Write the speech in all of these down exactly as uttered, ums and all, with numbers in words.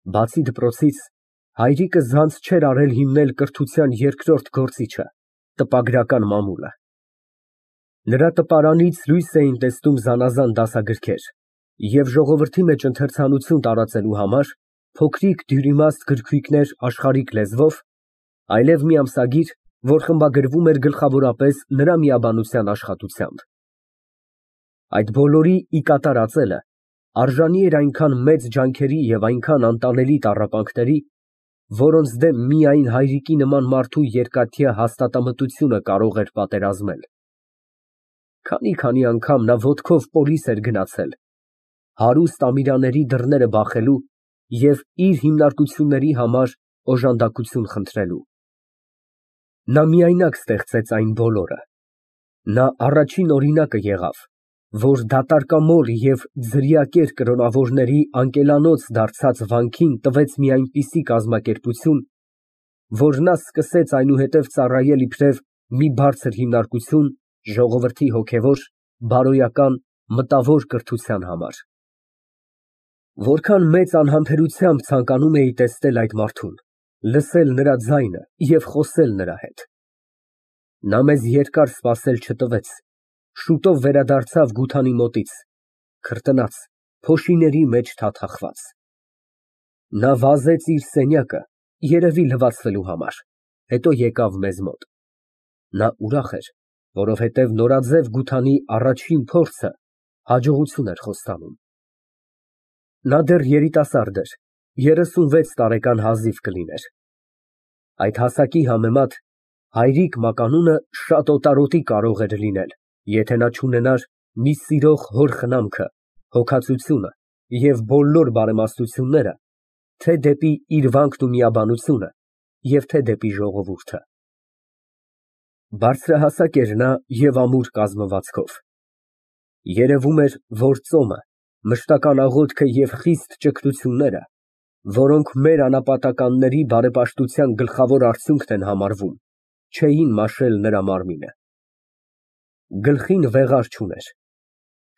Բացի դպրոցից, հայրիկը ձանձ չէր արել հիմնել կրթության երկրորդ գործիչը ֊ տպագրական մամուլը։ Նրա տպարանից լույս էին տեսնում զանազան դասագրքեր և ժողովրդի մեջ ընթերցանություն տարածելու համար փոքրիկ դյուրիմաստ գրքույկներ աշխարհիկ լեզվով, այլև մի ամսագիր, որ խմբագրվում էր գլխավորապես նրա միաբանության աշխատությամբ։ Այդ բոլորի ի կատար ածելը արժանի էր այնքան մեծ ջանքերի և այնքան անտանելի տառապանքների, որոնց դեմ միայն հայրիկի նման մարդու երկաթյա հաստատամտությունը կարող էր պատերազմել։ Քանի֊քանի անգամ նա ոտքով պոլիս էր գնացել, հարուստ ամիրաների դռները բախելու և իր հիմնարկությունների համար օժանդակություն խնդրելու։ Նա միայնակ ստեղծեց այն բոլորը։ Նա առաջին օրինակը եղավ, որ դատարկամոլ և ձրիակեր կրոնավորների անկելանոց դարձած վանքին տվեց մի այնպիսի կազմակերպություն, որ նա սկսեց այնուհետև ծառայել իբրև մի բարձր հիմնարկություն ժողովրդի հոգևոր, բարոյական, մտավոր կրթության համար։ Որքան մեծ անհամբերությամբ ցանկանում էի տեսնել այդ մարդուն, լսել նրա ձայնը և խոսել նրա հետ։ Նա մեզ երկար սպասել չտվեց, շուտով վերադարձավ Գութանի մոտից, քրտնած, փոշիների մեջ թաթախված։ Նա վազեց իր սենյակը, երևի լվացվելու համար, հետո եկավ մեզ մոտ։ Նա ուրախ էր, որովհետև նորաձև Գութանի առաջին փորձը հաջողություն էր խոստանում։ Նա դեռ երիտասարդ էր, երեսունվեց տարեկան հազիվ կլիներ։ Այդ հասակի համեմատ հայրիկ մականունը շատ օտարոտի կարող էր լինել, եթե նա չունենար մի սիրող հոր խնամքը, հոգածությունը և բոլոր բարեմաստությունները թե՛ դեպի իր վանքն ու միաբանությունը և թե՛ դեպի ժողովուրդը։ Բարձրահասակ էր նա և ամուր կազմվածքով։ Երևում էր, որ ծոմը, մշտական աղոթքը և խիստ ճգնությունները, որոնք մեր անապատականների բարեպաշտության գլխավոր արդյունքն են համարվում, չէին մաշել նրա մարմինը։ Գլխին վեղար չուներ։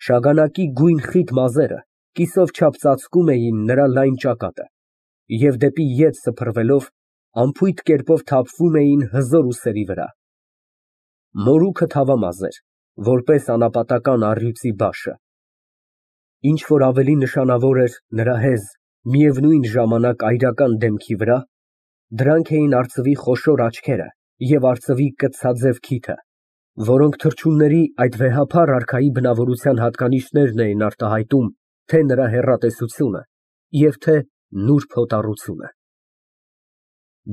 Շագանակի գույն խիտ մազերը կիսով չափ ծածկում էին նրա լայն ճակատը և դեպի ետ սփռվելով անփույթ կերպով թափվում էին հզոր ուսերի վրա։ Մորուքը թավամաս էր, որպես անապատական առյուծի բաշը։ Ինչ որ ավելի նշանավոր էր նրա հեզ, միևնույն ժամանակ այրական դեմքի վրա, դրանք էին արծվի խոշոր աչքերը և արծվի կծցաձև քիթը, որոնք թռչունների այդ վեհափառ արքայի բնավորության հատկանիշներն էին արտահայտում թե՛ նրա հեռատեսությունը և թե՛ նուրբ հոտառությունը։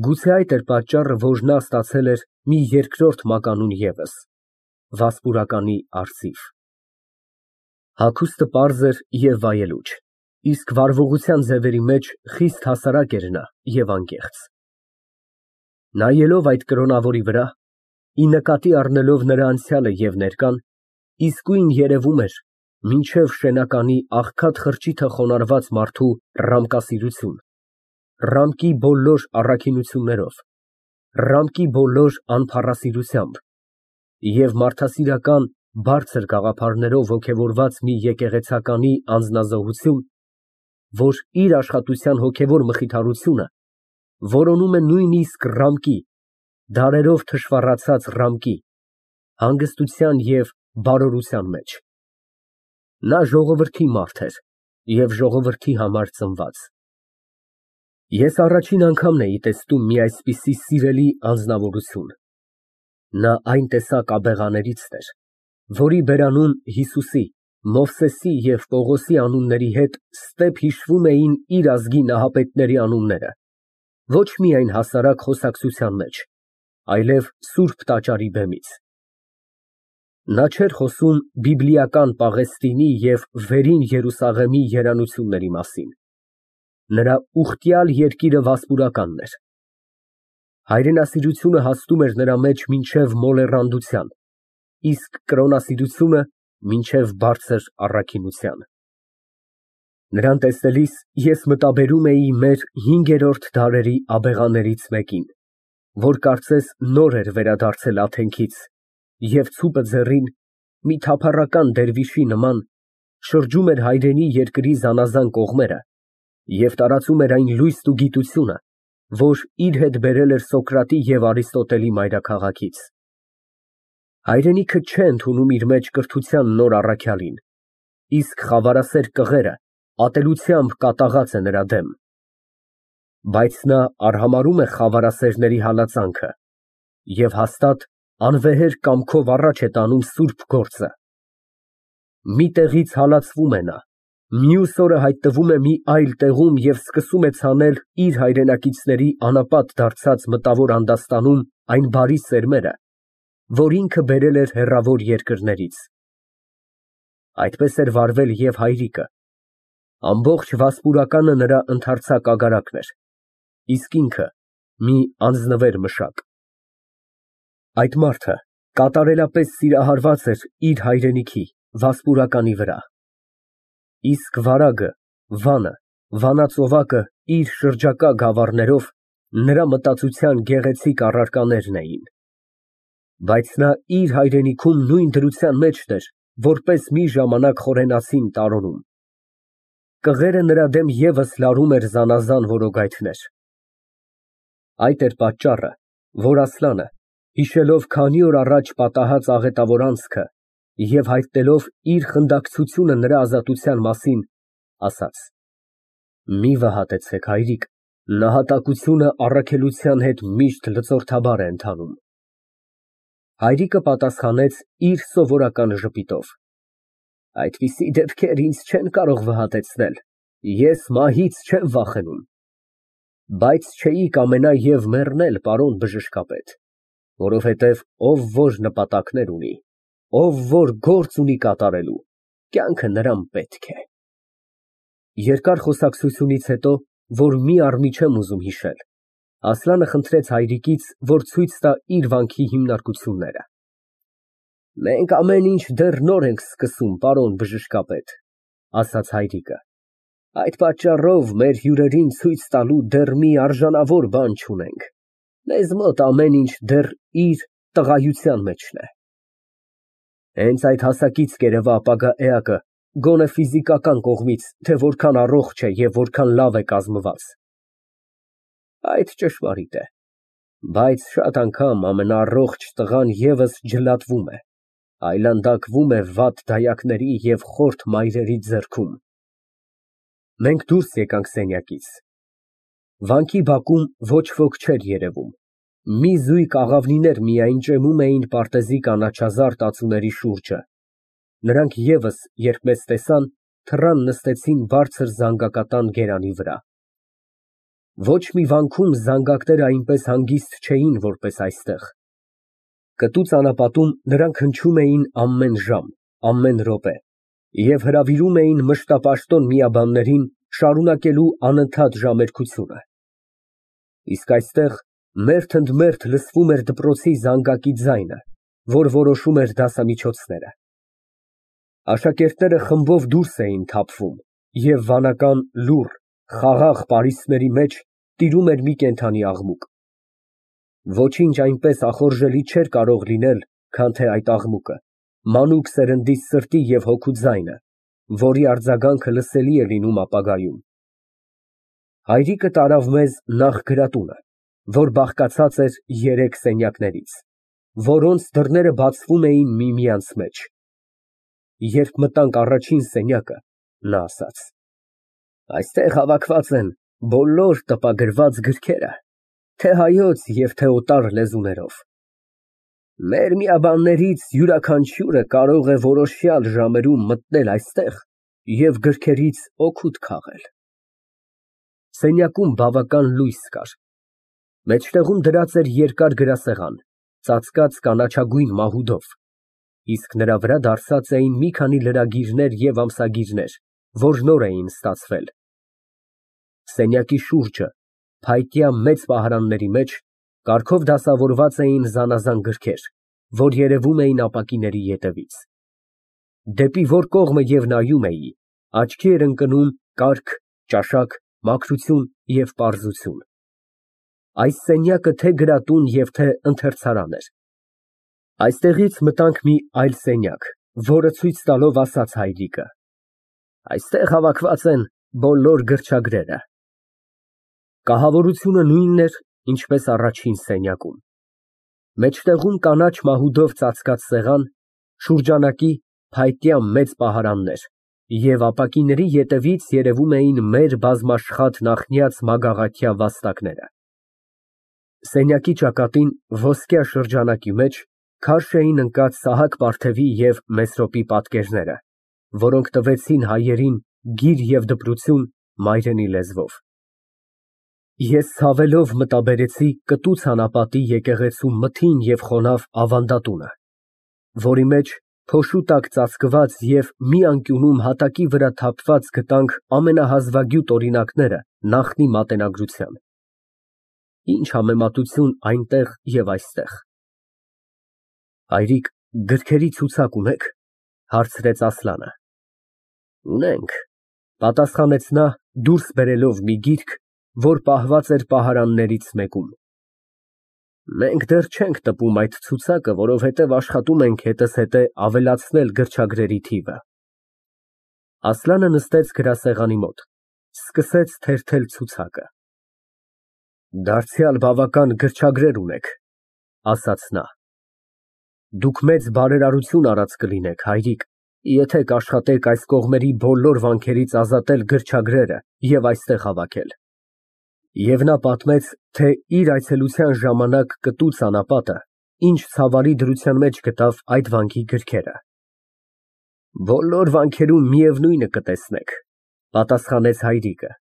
Գուցե այդ էր պատճառը, որ նա ստացել էր մի երկրորդ մականուն ևս ֊ վասպուրականի արծիվ։ Հագուստը պարզ էր և վայելուչ, իսկ վարվողության ձևերի մեջ խիստ հասարակ էր նա և անկեղծ։ Նայելով այդ կրոնավորի վրա, ի նկատի առնելով նրա անցյալը և ներկան, իսկույն երևում էր մինչև շենականի աղքատ խրճիթը խոնարհված մարդու ռամկասիրություն, ռամկի բոլոր առաքինություններով, ռամկի բոլոր անփառասիրությամբ և մարդասիրական բարձր գաղափարներով ոգևորված մի եկեղեցականի անձնազոհություն, որ իր աշխատության հոգևոր մխիթարությունը որոնում է նույնիսկ ռամկի, դարերով թշվառացած ռամկի, հանգստության և բարորության մեջ։ Նա ժողովրդի մարդ էր և ժողովրդի համար ծնված։ Ես առաջին անգամն էի տեսնում մի այսպիսի սիրելի անձնավորություն։ Նա այն տեսակ աբեղաներիցն էր, որի բերանուն Հիսուսի, Մովսեսի և Պողոսի անունների հետ ստեպ հիշվում էին իր ազգի նահապետների անունները, ոչ միայն հասարակ խոսակցության մեջ, այլև սուրբ տաճարի բեմից։ Նա չէր խոսում բիբլիական Պաղեստինի և վերին Երուսաղեմի երանությունների մասին։ Նրա ուխտյալ երկիրը վասպուրականն էր։ Հայրենասիրությունը հասնում էր նրա մեջ մինչև մոլեռանդության, իսկ կրոնասիրությունը մինչև բարձր առաքինության։ Նրան տեսնելիս ես մտաբերում էի մեր հինգերորդ դարերի աբեղաներից մեկին, որ կարծես նոր էր վերադարձել Աթենքից և ցուպը ձեռին, մի թափառական դերվիշի նման, շրջում էր հայրենի երկրի զանազան կողմերը և տարածում էր այն լույսն ու գիտությունը, որ իր հետ բերել էր Սոկրատի և Արիստոտելի մայրաքաղաքից։ Հայրենիքը չէ ընդունում իր մեջ կրթության նոր առաքյալին, իսկ խավարասեր կղերը ատելությամբ կատաղած է նրա դեմ։ Բայց նա արհամարհում է խավարասերների հալածանքը և հաստատ անվեհեր կամքով առաջ է տանում սուրբ գործը։ Մի տեղից հալածվում է նա, մյուս օրը հայտնվում է մի այլ տեղում և սկսում է ցանել իր հայրենակիցների անապատ դարձած մտավոր անդաստանում այն բարի սերմերը, որ ինքը բերել էր հեռավոր երկրներից։ Այդպես էր վարվել և հայրիկը, ամբողջ վասպուրականը նրա ընդարձակ ագարակն էր, իսկ ինքը մի անձնվեր մշակ։ Այդ մարդը կատարելապես սիրահարված էր իր հայրենիքի, վասպուրականի վրա։ Իսկ վարագը, վանը, վանածովակը իր շրջակա գավառներով նրա մտածության գեղեցիկ առարկաներն էին։ Բայց նա իր հայրենիքում նույն դրության մեջն էր, որպես մի ժամանակ խորենացին տարոնում։ Կղերը նրա դեմ ևս լարում էր զանազան որոգայթներ։ Այդ էր պատճառը, որ Ասլանը, հիշելով քանի օր առաջ պատահած աղետավոր անցքը և հայտնելով իր խնդակցությունը նրա ազատության մասին, ասաց. «Մի վհատեցեք, հայրիկ, նահատակությունը առաքելության հետ միշտ լծորդաբար է ընթանում»։ Հայրիկը պատասխանեց իր սովորական ժպիտով. «Այդպիսի դեպքեր ինձ չեն կարող վհատեցնել, ես մահից չեմ վախենում։ Բայց չէի կամենա և մեռնել, պարոն բժշկապետ, որովհետև ով որ նպատակներ ունի, ով որ գործ ունի կատարելու, կյանքը նրան պետք է»։ Երկար խոսակցությունից հետո, որ մի առ մի չեմ ուզում հիշել, Ասլանը խնդրեց հայրիկից, որ ցույց տա իր վանքի հիմնարկությունները։ «Մենք ամեն ինչ դեռ նոր ենք սկսում, պարոն բժշկապետ», ասաց հայրիկը, «այդ պատճառով մեր հյուրերին ցույց տալու դեռ մի արժանավոր բան չունենք, մեզ մոտ ամեն ինչ դեռ իր տղայության մեջն է։ Հենց այդ հասակից կերևա ապագա էակը, գոնե ֆիզիկական կողմից, թե որքան առողջ է և որքան լավ է կազմված։ Այդ ճշմարիտ է, բայց շատ անգամ ամենաառողջ տղան ևս ջլատվում է, այլանդակվում է վատ դայակների և խորթ մայրերի ձեռքում»։ Մենք դուրս եկանք սենյակից։ Վանքի բակում ոչ ոք չէր երևում, մի զույգ աղավնիներ միայն ճեմում էին պարտեզի կանաչազարդ ծածուների շուրջը, նրանք ևս, երբ մեզ տեսան, թռան նստեցին բարձր զանգակատան գերանի վրա։ Ոչ մի վանքում զանգակները այնպես հանգիստ չէին, որպես այստեղ։ Կտու ճանապատում նրանք հնչում էին ամեն ժամ, ամեն րոպե և հրավիրում էին մշտապաշտոն միաբաններին շարունակելու անընդհատ ժամերկությունը։ Իսկ այստեղ մերթ ընդ մերթ լսվում էր դպրոցի զանգակի ձայնը, որ որոշում էր դասամիջոցները։ Աշակերտները խմբով դուրս էին թափվում, և վանական լուռ, խաղաղ պարիսպների մեջ տիրում էր մի կենդանի աղմուկ։ Ոչինչ այնպես ախորժելի չէր կարող լինել, քան թե այդ աղմուկը, մանուկ սերնդի սրտի և հոգու ձայնը, որի արձագանքը լսելի է լինում ապագայում։ Հայրիկը տարավ մեզ նախ գրատունը, որ բաղկացած էր երեք սենյակներից, որոնց դռները բացվում էին միմյանց մեջ։ Երբ մտանք առաջին սենյակը, նա ասաց. «Այստեղ հավաքված են բոլոր տպագրված գրքերը, թե հայոց և թե օտար լեզուներով։ Մեր միաբաններից յուրաքանչյուրը կարող է որոշյալ ժամերում մտնել այստեղ և գրքերից օգուտ քաղել»։ Սենյակում բավական լույս կար։ Մեջտեղում դրած էր երկար գրասեղան, ծածկած կանաչագույն մահուդով, իսկ նրա վրա դարսած էին մի քանի լրագիրներ և ամսագիրներ, որ նոր էին ստացվել։ Սենյակի շուրջը, փայտյա մեծ պահարանների մեջ, կարգով դասավորված էին զանազան գրքեր, որ երևում էին ապակիների ետևից։ Դեպի որ կողմը և նայում էի, աչքի էր ընկնում կարգ, ճաշակ, մաքրություն և պարզություն։ Այս սենյակը թե գրատուն և թե ընթերցարան էր։ Այստեղից մտանք մի այլ սենյակ, որը ցույց տալով ասաց հայրիկը. «Այստեղ հավաքված են բոլոր գրչագրերը։ Կահավորությունը նույնն էր, ինչպես առաջին սենյակում։ Մեջտեղում կանաչ մահուդով ծածկած սեղան, շուրջանակի փայտյա մեծ պահարաններ և ապակիների ետևից երևում էին մեր բազմաշխատ նախնյաց մագաղաթյա վաստակները։ Սենյակի ճակատին ոսկյա շրջանակի մեջ քարշ էին ընկած Սահակ Վարդևի և Մեսրոպի պատկերները, որոնք տվեցին հայերին գիր և դպրություն մայրենի լեզվով։ Ես ցավելով մտաբերեցի կտուց անապատի եկեղեցու մթին և խոնավ ավանդատունը, որի մեջ փոշու տակ ծածկված և մի անկյունում հատակի վրա թափված գտանք ամենահազվագյուտ օրինակները նախնի մատենագրության։ Ինչ համեմատություն այնտեղ և այստեղ։ Հայրիկ, գրքերի ցուցակ ունե՞ք, հարցրեց Ասլանը։ Ունենք, պատասխանեց նա, դուրս բերելով մի գիրք, որ պահված էր պահարաններից մեկում։ Մենք դեռ չենք տպում այդ ցուցակը, որովհետև աշխատում ենք հետզհետե ավելացնել գրչագրերի թիվը։ Ասլանը նստեց գրասեղանի մոտ, սկսեց թերթել ցուցակը։ Դարձյալ բավական գրչագրեր ունեք, ասաց նա։ Դուք մեծ բարերարություն արած կլինեք, հայրիկ, եթե կաշխատեք այս կողմերի բոլոր վանքերից ազատել գրչագրերը և այստեղ հավաքել։ Եվ նա պատմեց, թե իր այցելության ժամանակ կտուց անապատը ինչ ցավալի դրության մեջ գտավ այդ վանքի գրքերը։ Բոլոր վանքերում միևնույնը կտեսնեք, պատասխանեց հայրիկը,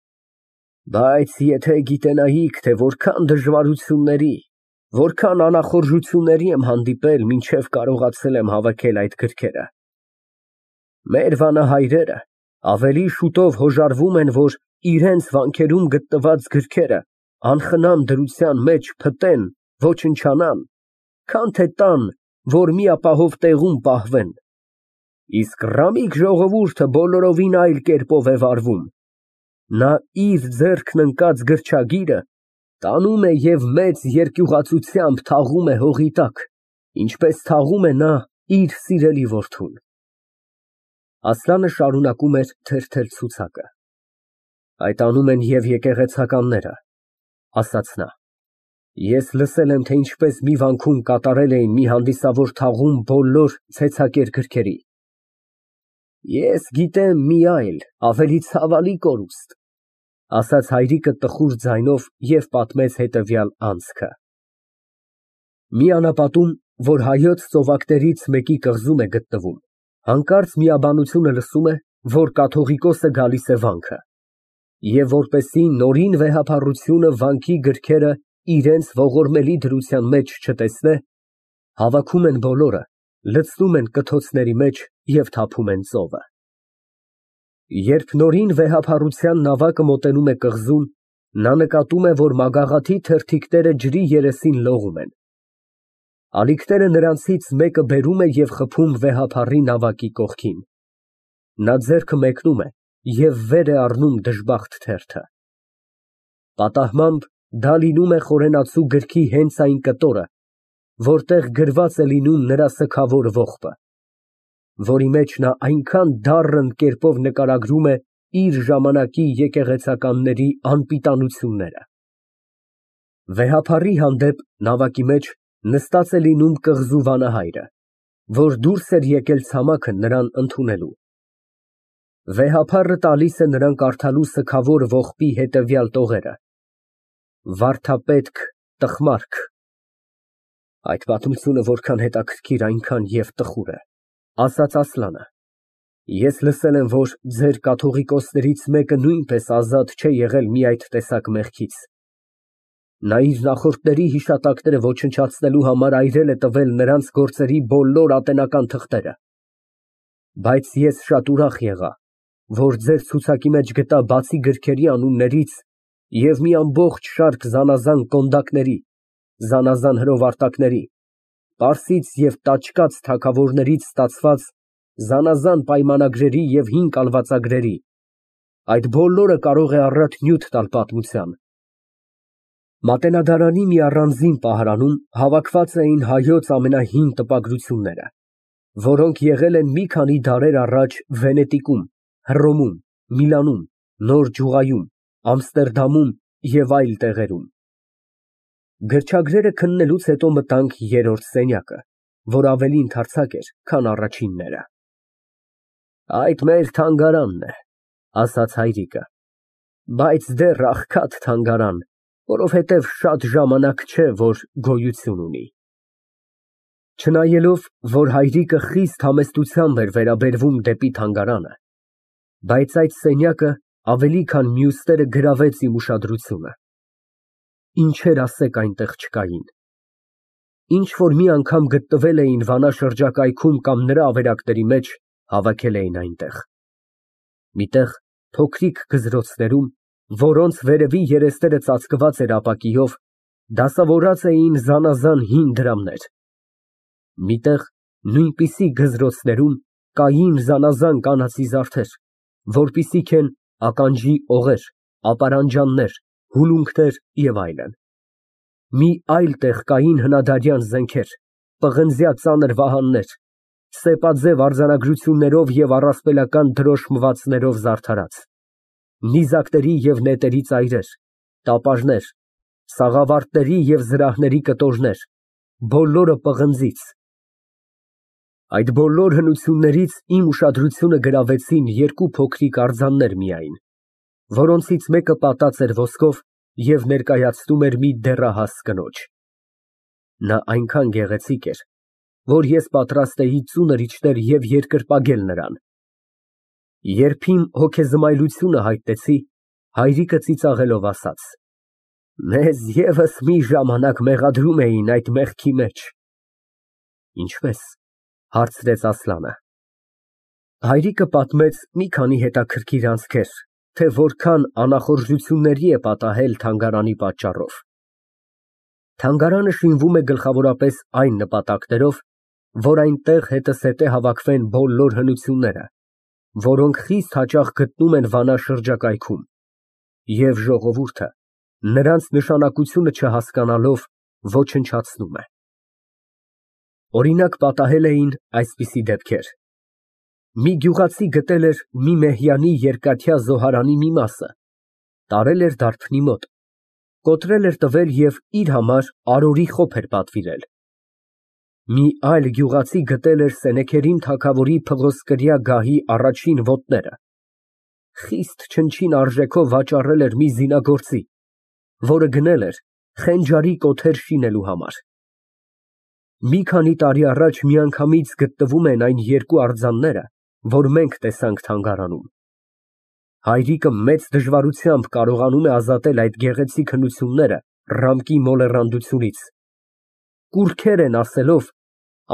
բայց եթե գիտենայիք, թե որքան դժվարությունների, որքան անախորժությունների եմ հանդիպել, մինչև կարողացել եմ հավաքել այդ գրքերը։ Մեր վանահայրերը ավելի շուտով հոժարվում են, որ իրենց վանքերում գտնված գրքերը անխնամ դրության մեջ փտեն, ոչնչանան, քան թե տան, որ մի ապահով տեղում պահվեն։ Իսկ Ռամիկ ժողովուրդը բոլորովին այլ կերպով է վարվում։ Նա իր ձեռքն ընկած գրչագիրը տանում է և մեծ երկյուղացությամբ թաղում է հողի տակ, ինչպես թաղում է նա իր սիրելի որդուն։ Ասլանը շարունակում էր թերթել ցուցակը։ Այդ անում են և եկեղեցականները, ասաց նա։ Ես լսել եմ, թե ինչպես մի վանքում կատարել էին մի հանդիսավոր թաղում բոլոր ցեցակեր գրքերի։ Ես գիտեմ մի այլ, ավելի ցավալի կորուստ, ասաց հայրիկը տխուր ձայնով և պատմեց հետևյալ անցքը։ Մի անապատում, որ հայոց ծովակներից մեկի կղզում է գտնվում, հանկարծ միաբանությունը լսում է, որ կաթողիկոսը գալիս է վանքը, և որպեսզի նորին վեհափառությունը վանքի գրքերը իրենց ողորմելի դրության մեջ չտեսնե, հավաքում են բոլորը, լցնում են կթոցների մեջ և թափում են ծովը։ Երբ նորին վեհափառության նավակը մոտենում է կղզուն, նա նկատում է, որ մագաղաթի թերթիկները ջրի երեսին լողում են։ Ալիքները նրանցից մեկը բերում է և խփում վեհափառի նավակի կողքին։ Նա ձեռքը մեկնում է և վեր է առնում դժբախտ թերթը։ Պատահմամբ դա լինում է խորենացու գրքի հենց այն կտորը, որտեղ գրված է լինում նրա սգավոր ողբը, որի մեջ նա այնքան դառն կերպով նկարագրում է իր ժամանակի եկեղեցականների անպիտանությունները։ Վեհափառի հանդեպ նավակի մեջ նստած է լինում կղզու վանահայրը, որ դուրս էր եկել ցամաքը նրան ընդունելու։ Վեհափառը տալիս է նրան կարդալու սգավոր ողբի հետևյալ տողերը. Վարդապետք Տխմարք։ Այդ պատմությունը որքան հետաքրքիր, այնքան և տխուր է, ասաց Ասլանը։ Ես լսել եմ, որ ձեր կաթողիկոսներից մեկը նույնպես ազատ չէ եղել մի այդ տեսակ մեղքից։ Նա իր նախորդների հիշատակները ոչնչացնելու համար այրել է տվել նրանց գործերի բոլոր ատենական թղթերը։ Բայց ես շատ ուրախ եղա, որ ձեր ցուցակի մեջ գտա բացի գրքերի անուններից և մի ամբողջ շարք զանազան կոնդակների, զանազան հրովարտակների, պարսից և տաճկաց թագավորներից ստացված զանազան պայմանագրերի և հին կալվածագրերի, այդ բոլորը կարող է առատ նյութ տալ պատմության։ Մատենադարանի մի առանձին պահարանում հավաքված էին հայոց ամենահին տպագրությունները, որոնք եղել են մի քանի դարեր առաջ Վենետիկում, Հռոմում, Միլանում, Նոր Ջուղայում, Ամստերդամում և այլ տեղերում։ Գրչագրերը քննելուց հետո մտանք երրորդ սենյակը, որ ավելի ընդարձակ էր, քան առաջինները։ Այդ մեր թանգարանն է, ասաց հայրիկը, բայց դեռ աղքատ թանգարան, որովհետև շատ ժամանակ չէ, որ գոյություն ունի։ Չնայելով, որ հայրիկը խիստ համեստությամբ էր վերաբերվում դեպի թանգարանը, բայց այդ սենյակը ավելի քան մյուսները գրավեց իմ ուշադրությունը։ Ինչեր ասեք այնտեղ չկային։ Ինչ որ մի անգամ գտնվել էին Վանա շրջակայքում կամ նրա ավերակների մեջ, հավաքել էին այնտեղ։ Մի տեղ փոքրիկ գզրոցներում, որոնց վերևի երեսները ծածկված էր ապակիով, դասավորած էին զանազան հին դրամներ։ Մի տեղ նույնպիսի գզրոցներում կային զանազան կանացի զարդեր, որպիսիք են ականջի օղեր, ապարանջաններ, հուլունքներ և այլն։ Մի այլ տեղ կային հնադարյան զենքեր, պղնձյա ծանր վահաններ, սեպաձև արձանագրություններով և առասպելական դրոշմվածքներով զարդարած, նիզակների և նետերի ծայրեր, տապարներ, սաղավարտների և զրահների կտորներ, բոլորը պղնձից։ Այդ բոլոր հնություններից իմ ուշադրությունը գրավեցին երկու փոքրիկ արձաններ միայն, որոնցից մեկը պատած էր ոսկով և ներկայացնում էր մի դեռահաս կնոջ։ Նա այնքան գեղեցիկ էր, որ ես պատրաստ էի ծունր իջնել և երկրպագել նրան։ Երբ իմ հոգեզմայլությունը հայտնեցի, հայրիկը ծիծաղելով ասաց. «Մեզ ևս մի ժամանակ մեղադրում էին այդ մեղքի մեջ»։ Ինչպե՞ս, հարցրեց Ասլանը։ Հայրիկը պատմեց մի քանի հետաքրքիր անցքեր, թե որքան անախորժությունների է պատահել թանգարանի պատճառով։ Թանգարանը շինվում է գլխավորապես այն նպատակներով, որ այնտեղ հետզհետե հավաքվեն բոլոր հնությունները, որոնք խիստ հաճախ գտնում են Վանա շրջակայքում, և ժողովուրդը, նրանց նշանակությունը չհասկանալով, ոչնչացնում է։ Օրինակ, պատահել էին այսպիսի դեպքեր. մի գյուղացի գտել էր մի մեհյանի երկաթյա զոհարանի մի մասը, տարել էր դարբնի մոտ, կոտրել էր տվել և իր համար արորի խոփ էր պատվիրել։ Մի այլ գյուղացի գտել էր Սենեքերիմ թագավորի փղոսկրյա գահի առաջին ոտները, խիստ չնչին արժեքով վաճառել էր մի զինագործի, որը գնել էր խենջարի կոթեր շինելու համար։ Մի քանի տարի առաջ միանգամից գտնվում են այն երկու արձանները, որ մենք տեսանք թանգարանում։ Հայրիկը մեծ դժվարությամբ կարողանում է ազատել այդ գեղեցիկ հնությունները ռամկի մոլեռանդությունից։ Կուռքեր են ասելով,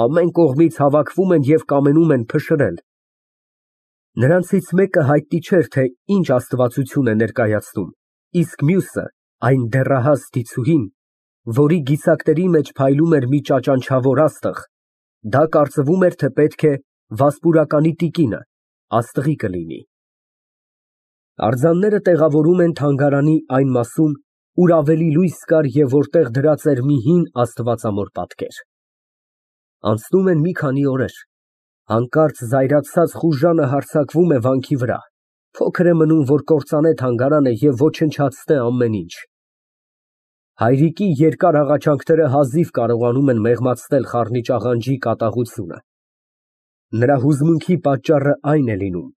ամեն կողմից հավաքվում են և կամենում են փշրել։ Նրանցից մեկը հայտնի չէր, թե ինչ աստվածություն է ներկայացնում, իսկ մյուսը, այն դեռահաս դիցուհին, որի գիցակների մեջ փայլում էր մի ճաճանչավոր աստղ, դա կարծվում էր, թե պետք է վասպուրականի տիկինը, աստղի կլինի։ Արձանները տեղավորվում են թանգարանի այն մասում, ուր ավելի լույս կար և որտեղ դրած էր մի հին աստվածամոր պատկեր։ Անցնում են մի քանի օրեր, հանկարծ զայրացած խուժանը հարձակվում է վանքի վրա, փոքր է մնում, որ կործանե թանգարանը և ոչնչացնե ամեն ինչ։ Հայրիկի երկար աղաչանքները հազիվ կարողանում են մեղմացնել խառնիչ աղանջի կատաղությունը։ Նրա հուզմունքի պատճառը այն է լինում,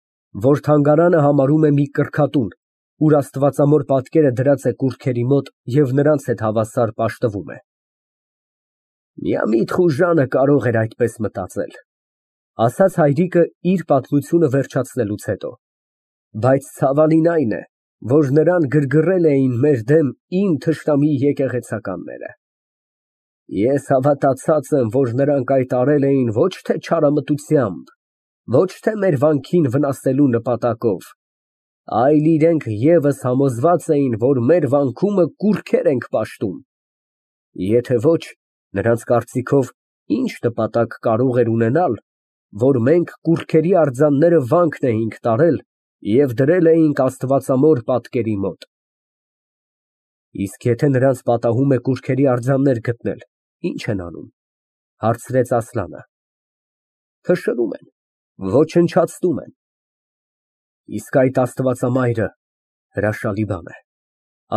որ թանգարանը համարում է մի կրքատուն, ուր աստվածամոր պատկերը դրած է կուռքերի մոտ և նրանց հետ հավասար պաշտվում է։ Միամիտ խուժանը կարող էր այդպես մտածել, ասաց հայրիկը իր պատմությունը վերջացնելուց հետո, բայց ցավալին այն է, որ նրան գրգռել էին մեր դեմ իմ թշնամի եկեղեցականները։ Ես հավատացած եմ, որ նրանք այդ արել էին ոչ թե չարամտությամբ, ոչ թե մեր վանքին վնասելու նպատակով, այլ իրենք ևս համոզված էին, որ մեր վանքումը կուռքեր ենք պաշտում։ Եթե ոչ, նրանց կարծիքով ինչ նպատակ կարող էր ունենալ, որ մենք կուռքերի արձանները վանքն էինք տարել և դրել էինք աստվածամոր պատկերի մոտ։ Իսկ եթե նրանց պատահում է կուռքերի արձաններ գտնել, ի՞նչ են անում, հարցրեց Ասլանը։ Փշրում են, ոչնչացնում են։ Իսկ այդ աստվածամայրը Հրաշալի բան է,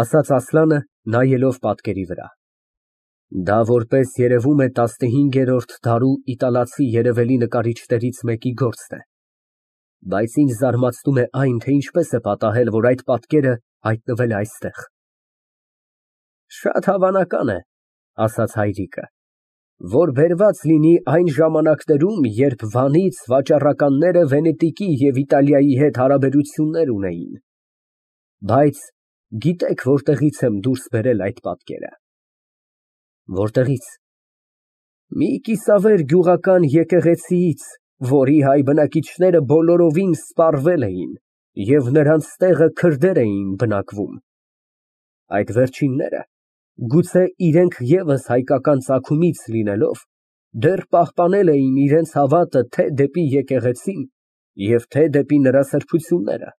ասաց Ասլանը, նայելով պատկերի վրա։ Դա որպես երևում է տասնհինգերորդ դարու իտալացի երևելի նկարիչներից մեկի գործն է, բայց ինձ զարմացնում է այն, թե ինչպես է պատահել, որ այդ պատկերը հայտնվել է այստեղ։ Շատ հավանական է, ասաց հայրիկը, որ բերված լինի այն ժամանակներում, երբ Վանից վաճառականները Վենետիկի և Իտալիայի հետ հարաբերություններ ունեին, բայց գիտե՞ք որտեղից եմ դուրս բերել այդ պատկերը։ Որտեղի՞ց։ Մի կիսավեր գյուղական եկեղեցիից, որի հայ բնակիչները բոլորովին սպառվել էին և նրանց տեղը քրդեր էին բնակվում։ Այդ վերջինները, գուցե իրենք ևս հայկական ծագումից լինելով, դեռ պահպանել էին իրենց հավատը թե դեպի եկեղեցին և թե դեպի նրա սրբությունները։